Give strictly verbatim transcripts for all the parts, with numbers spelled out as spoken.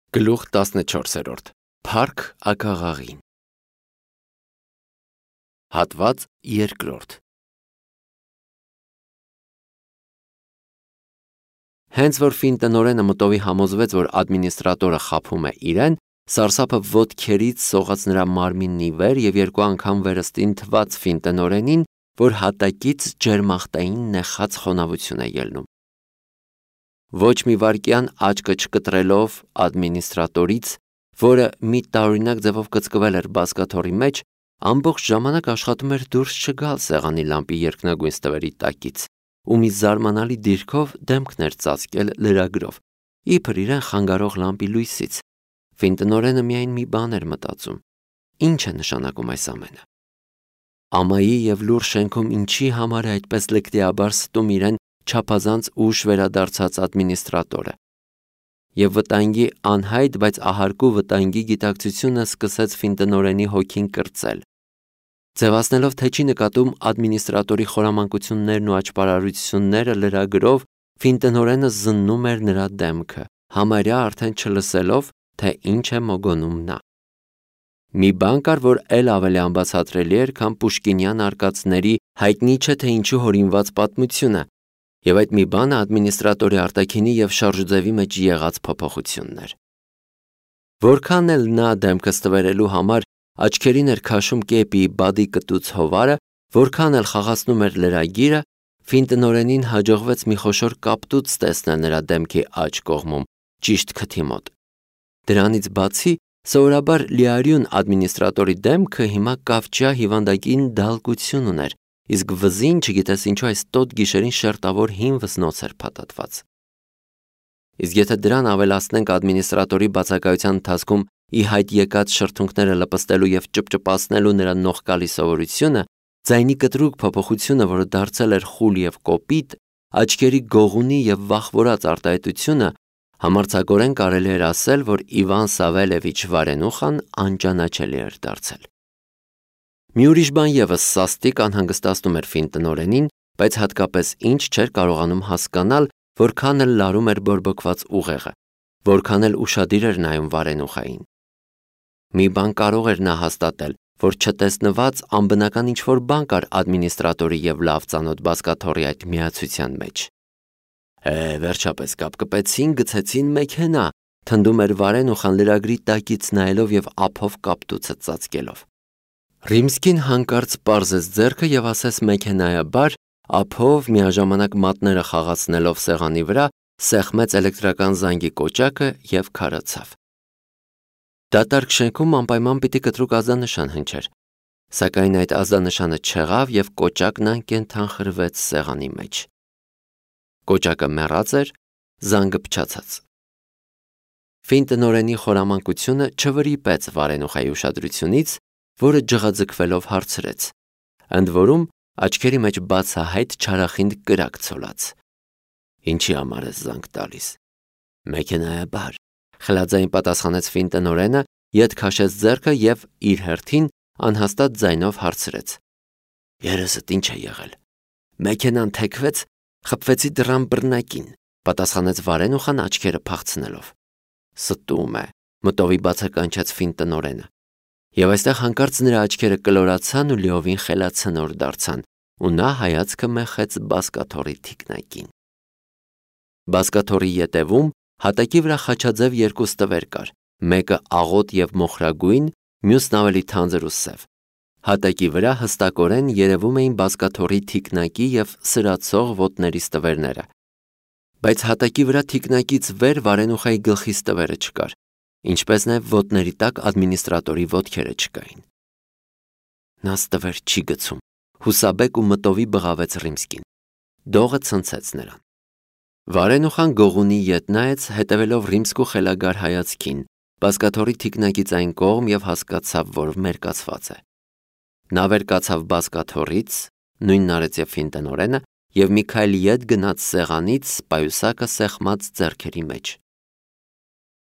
Գլուխ տասնչորսերորդ Փառք ակաղաղին Հատված երկրորդ Հենց որ ֆին տնօրենը մտովի համոզվեց, որ ադմինիստրատորը խաբում է իրեն, սարսափը ոտքերից սողաց նրա մարմինն ի վեր և երկու անգամ վերստին թվաց ֆին տնօրենին, որ հատակից ջերմախտային նեխած խոնավություն է ելնում։ Ոչ մի վայրկյան աչքը չկտրելով ադմինիստրատորից, որը մի տարօրինակ ձևով կծկվել էր բազկաթոռի մեջ, ամբողջ ժամանակ աշխատում էր դուրս չգալ սեղանի լամպի երկնագույն ստվերի տակից, ու մի զարմանալի դիրքով դեմքն էր ծածկել լրագրով, իբր իրեն խանգարող լամպի լույսից։ Ֆին տնօրենը միայն մի բան էր մտածում. ինչ է նշանակում այս ամենը։ Ամայի և լուռ շենքում ինչի համար է այդպես լկտիաբար ստում իրեն չափազանց ուշ վերադարձած ադմինիստրատորը։ Եվ վտանգի անհայտ, բայց ահարկու վտանգի գիտակցությունը սկսեց ֆին տնօրենի հոգին կրծել։ Ձևացնելով, թե չի նկատում ադմինիստրատորի խորամանկություններն ու աճպարարությունները լրագրով, ֆին տնօրենը զննում էր նրա դեմքը, համարյա արդեն չլսելով, թե ինչ է մոգոնում նա։ Մի բան կար, որ էլ ավելի անբացատրելի էր, քան պուշկինյան արկածների հայտնի չէ թե ինչու հորինված պատմությունը, և այդ մի բանը ադմինիստրատորի արտաքինի և շարժուձևի մեջ եղած փոփոխությունն էր։ Որքան էլ նա դեմքը ստվերելու համար աչքերին էր քաշում կեպի բադի կտուց հովարը, որքան էլ խաղացնում էր լրագիրը, ֆին տնօրենին հաջողվեց մի խոշոր կապտուց տեսնել նրա դեմքի աջ կողմում, ճիշտ քթի մոտ։ Դրանից բացի, սովորաբար լիարյուն ադմինիստրատորի դեմքը հիմա կավճյա հիվանդագին դալկություն ուներ, իսկ վզին, չգիտես ինչու, այս տոտ գիշերին շերտավոր հին վզնոց էր փաթաթված։ Իսկ եթե դրան ավելացնենք ադմինիստրատորի բացակայության ընթացքում ի հայտ եկած շրթունքները լպստելու և ճպճպացնելու նրա նողկալի սովորությունը, ձայնի կտրուկ փոփոխությունը, որը դարձել էր խուլ և կոպիտ, աչքերի գողունի և վախվորած արտահայտությունը, համարձակորեն կարելի էր ասել, որ Իվան Սավելևիչ Վարենուխան անճանաչելի էր դարձել։ Մի ուրիշ բան ևս սաստիկ անհանգստացնում էր ֆին տնօրենին, բայց հատկապես ինչ չէր կարողանում հասկանալ, որքան էլ լարում էր բորբոքված ուղեղը, որքան էլ ուշադիր էր նայում Վարենուխային։ Մի բան կարող էր նա հաստատել, որ չտեսնված անբնական ինչ-որ բան կար ադմինիստրատորի և լավ ծանոթ բազկաթոռի այդ միացության մեջ։ Է, վերջապես կապկպեցին, գցեցին մեքենա, թնդում էր Վարենուխան լրագրի տակից նայելով և ափով կապտուցը ծածկելով։ Ռիմսկին հանկարծ պարզեց ձեռքը և ասեց մեքենայաբար, ափով միաժամանակ մատները խաղացնելով սեղանի վրա, սեղմեց էլեկտրական զանգի կոճակը և քարացավ։ Դատարկ շենքում անպայման պիտի կտրուկ ազդանշան հնչեր, սակայն այդ ազդանշանը չեղավ և կոճակն անկենդան խրվեց սեղանի մեջ։ Կոճակը մեռած էր, զանգը փչացած։ Ֆին տնօրենի խորամանկությունը չվրիպեց Վարենուխայի ուշադրությունից, որը ջղաձգվելով հարցրեց, ընդ որում աչքերի մեջ բացահայտ չարախինդ կրակ ցոլած. Ինչի համար ես զանգ տալիս։ Մեքենայաբար, խլաձայն պատասխանեց ֆին տնօրենը, ետ քաշեց ձեռքը և իր հերթին անհաստատ ձայնով հարցրեց. Երեսդ ինչ է եղել։ Մեքենան թեքվեց, խփվեցի դռան բռնակին, պատասխանեց Վարենուխան աչքերը փախցնելով։ Ստում է, մտովի բացականչեց ֆին տնօրենը։ Եվ այստեղ հանկարծ նրա աչքերը կլորացան ու լիովին խելացնոր դարձան, ու նա հայացքը մեխեց բազկաթոռի թիկնակին։ Բազկաթոռի ետևում հատակի վրա խաչաձև երկու ստվեր կար, մեկը աղոտ և մոխրագույն, մյուսն ավելի թանձր ու սև։ Հատակի վրա հստակորեն երևում էին բազկաթոռի թիկնակի և սրացող ոտների ստվերները, բայց հատակի վրա թիկնակից վեր Վարենուխայի գլխի ստվերը չկար, ինչպես նաև ոտների տակ ադմինիստրատորի ոտքերը չկային։ Նա ստվեր չի գցում, հուսաբեկ ու մտովի բղավեց Ռիմսկին։ Դողը ցնցեց նրան։ Վարենուխան գողունի ետ նայեց, հետևելով Ռիմսկու խելագար հայացքին, բազկաթոռի թիկնակից այն կողմ և հասկացավ, որ մերկացված է։ Նա վեր կացավ բազկաթոռից, նույնն արեց և ֆին տնօրենը, և մի քայլ ետ գնաց սեղանից պայուսակը սեղմած ձեռքերի մեջ։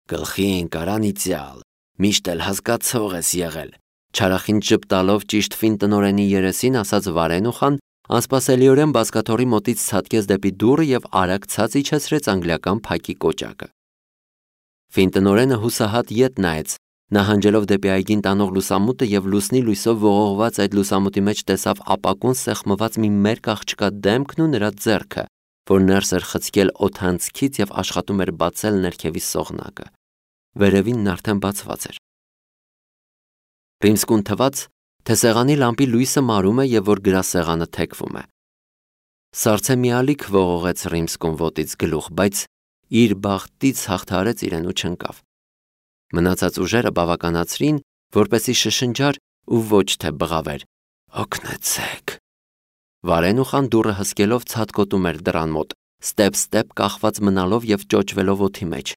Գլխի ընկար անիծյալ, միշտ էլ հասկացող ես եղել, չարախինդ ժպտալով ճիշտ ֆին տնօրենի երեսին ասաց Վարենուխան, անսպասելիորեն բազկաթոռի մոտից ցատկեց դեպի դուռը և արագ ցած իջեցրեց անգլիական փակի կոճակը։ Ֆինտնորենը հուսահատ ետ նայեց, նահանջելով դեպի այգին տանող լուսամուտը եւ լուսնի լույսով ողողված այդ լուսամուտի մեջ տեսավ ապակուն սեղմված մի մերկ աղջկա դեմքն ու նրա ձեռքը, որ ներս էր խցկել օդանցքից եւ աշխատում էր բացել ներքևի սողնակը։ Վերևին նա արդեն բացված էր։ Ռիմսկուն թվաց, թե սեղանի լամպի լույսը մարում է եւ որ գրասեղանը թեքվում է։ Սառցե մի ալիք ողողեց Ռիմսկուն ոտից գլուխ, բայց իր բախտից հաղթարեց իրեն ու չընկավ։ Մնացած ուժերը բավականացրին, որպեսի շշնջար ու ոչ թե բղավեր. «Օգնեցեք»։ Վարենուխան դուռը հսկելով ցատկոտում էր դռան մոտ, ստեպ-ստեպ կախված մնալով եւ ճոճվելով օդի մեջ։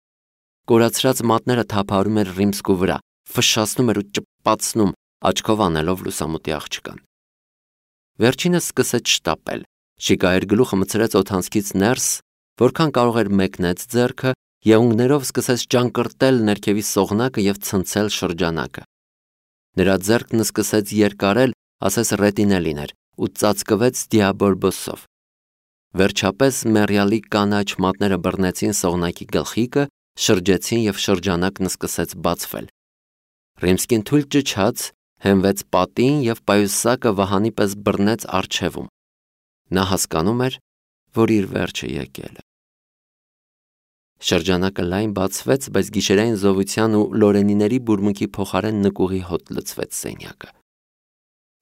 Կորացրած մատները թափահարում էր Ռիմսկու վրա, ֆշշացնում էր ու ճպացնում, աչքով անելով լուսամուտի աղջկան։ Վերջինս սկսեց շտապել։ Շիկայր գլուխը մցրեց օդանցքից ներս, որքան կարող էր մեկնեց ձեռքը, եղունգներով սկսեց ճանկրտել ներքևի սողնակը եւ ցնցել շրջանակը։ Նրա ձեռքն սկսեց երկարել, ասես ռետինելին էր, ու ծածկվեց դիաբորբոսով։ Վերջապես մեռյալի կանաչ մատները բռնեցին սողնակի գլխիկը, շրջեցին եւ շրջանակն սկսեց բացվել։ Ռիմսկին թույլ ճչաց, հենվեց պատին եւ պայուսակը վահանի պես բռնեց առջևում։ Նա հասկանում էր, որ իր վերջը եկել է։ Շրջանակը լայն բացվեց, բայց գիշերային զովության ու լորենիների բուրմունքի փոխարեն նկուղի հոտ լցվեց սենյակը։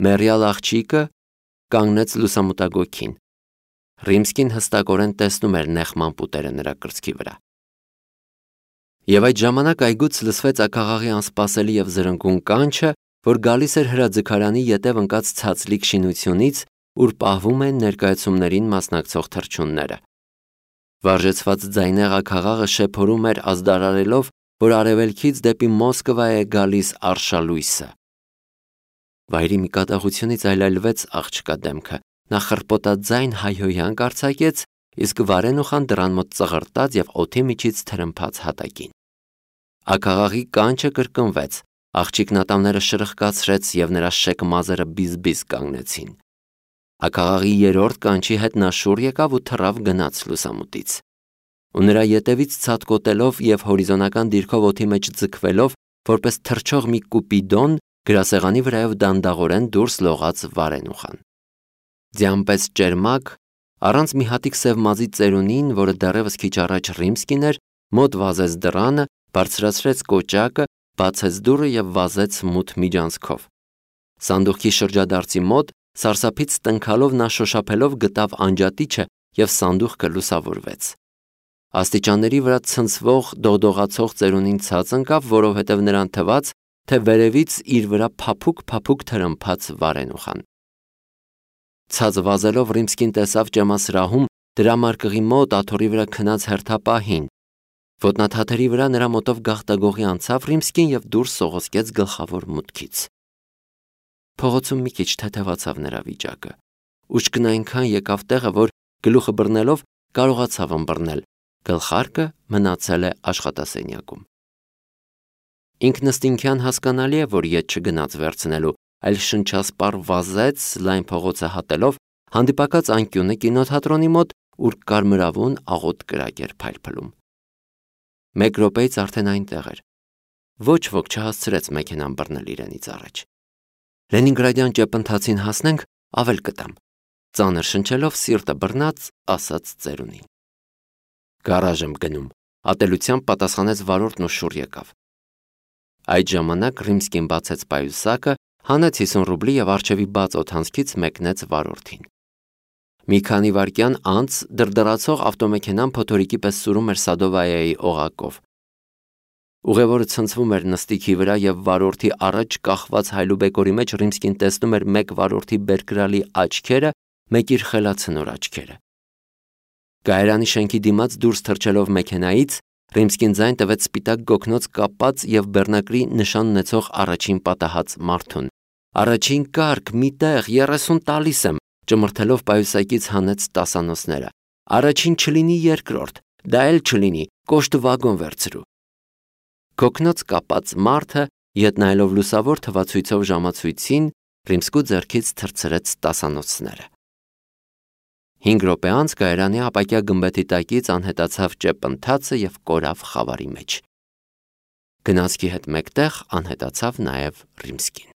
Մեռյալ աղջիկը կանգնեց լուսամուտագոգին։ Ռիմսկին հստակորեն տեսնում էր նեղման պուտերը նրա կրծքի վրա։ Եվ այդ ժամանակ այգուց լսվեց ակաղաղի անսպասելի եւ զրնգուն կանչը, որ գալիս էր հրաձգարանի ետև ընկած ցածլիկ շինությունից, ուր պահվում են ներկայացումներին մասնակցող թռչունները։ Վարժեցված ձայնեղ ակաղաղը շեփորում էր ազդարարելով, որ արևելքից դեպի Մոսկվա է գալիս արշալույսը։ Վայրի մի կատաղությունից այլայլվեց աղջկա դեմքը։ Նա խռպոտաձայն հայհոյանք արձակեց, իսկ Վարենուխան դռան մոտ ծղրտաց եւ օդի միջից թրմփաց հատակին։ Ակաղաղի կանչը կրկնվեց, աղջիկն ատամները շրխկացրեց եւ նրա շեք մազերը բիզ-բիզ կանգնեցին։ Ակաղաղի երրորդ կանչի հետ նա շուռ եկավ ու թռավ գնաց լուսամուտից։ Ու նրա ետևից ցատկոտելով եւ հորիզոնական դիրքով օդի մեջ ձգվելով, որպես թռչող մի կուպիդոն, գրասեղանի վրայով դանդաղորեն դուրս լողաց Վարենուխան։ Ձյամպես ճերմակ, առանց մի հատիկ սև մազի ծերունին, որը դեռևս քիչ առաջ Ռիմսկին էր, մոտ վազեց դռանը, բարձրացրեց կոճակը, բացեց դուռը եւ վազեց մութ միջանցքով։ Սանդուղքի շրջադարձի մոտ սարսափից տնքալով նա շոշափելով գտավ անջատիչը եւ սանդուղքը լուսավորվեց։ Աստիճանների վրա ցնցվող դողդողացող ծերունին ցած ընկավ, որովհետեւ նրան թվաց, թե վերևից իր վրա փափուկ-փափուկ թրմփաց Վարենուխան։ Ցած վազելով Ռիմսկին տեսավ ճեմասրահում դրամարկղի մոտ աթոռի վրա քնած հերթապահին։ Ոտնաթաթերի վրա նրա մոտով գաղտագողի անցավ Ռիմսկին եւ դուրս սողոսկեց գլխավոր մուտքից։ Փողոցում մի քիչ թեթևացավ նրա վիճակը։ Ուշքն այնքան եկավ տեղը, որ գլուխը բռնելով կարողացավ ըմբռնել։ Գլխարկը մնացել է աշխատասենյակում։ Ինքնըստինքյան հասկանալի է, որ ետ չգնաց վերցնելու, այլ շնչասպառ վազեց լայն փողոցը հատելով, հանդիպակաց անկյունը կինոթատրոնի մոտ, ուր կարմրավուն աղոտ կրակ էր փայլփլում։ Մեկ րոպեից արդեն այնտեղ էր։ Ոչ ոք չհասցրեց մեքենան բռնել իրենից առաջ։ Լենինգրադյան ճեպընթացին հասնենք, ավել կտամ։ Ծանր շնչելով սիրտը բռնած, ասաց ծերունին։ Գարաժ եմ գնում, ատելությամբ պատասխանեց վարորդն ու շուռ եկավ։ Այդ ժամանակ Ռիմսկին բացեց պայուսակը, հանեց հիսուն ռուբլի եւ արջևի բաց օդանցքից մեկնեց վարորդին։ Մի քանի վայրկյան անց դրդրացող ավտոմեքենան փոթորիկի պես սուրում էր Սադովայայի օղակով։ Ուղևորը ցնցվում էր նստիքի վրա եւ վարորդի առաջ կախված հայլուբեկորի մեջ Ռիմսկին տեսնում էր մեկ վարորդի բերկրալի աչքերը, մեկ իր խելացնոր աչքերը։ Գայարանի շենքի դիմաց դուրս թռչելով մեքենայից Ռիմսկին ձայն տվեց սպիտակ գոգնոց կապած եւ բեռնակրի նշան ունեցող առաջին պատահած մարդուն։ Առաջին կարգ, մի տեղ, երեսուն տալիս եմ, ճմրթելով պայուսակից հանեց տասանոցները։ Առաջին չլինի երկրորդ, դա էլ չլինի, կոշտ վագոն վերցրու։ Գոգնոց կապած մարդը, ետ նայելով լուսավոր թվացույցով ժամացույցին, Ռիմսկու ձեռքից թռցրեց տասանոցները։ Հինգ րոպե անց Գայարանի ապակյա գմբեթի տակից անհետացավ ճեպընթացը եւ կորավ խավարի մեջ։ Գնացքի հետ մեկտեղ անհետացավ նաև Ռիմսկին։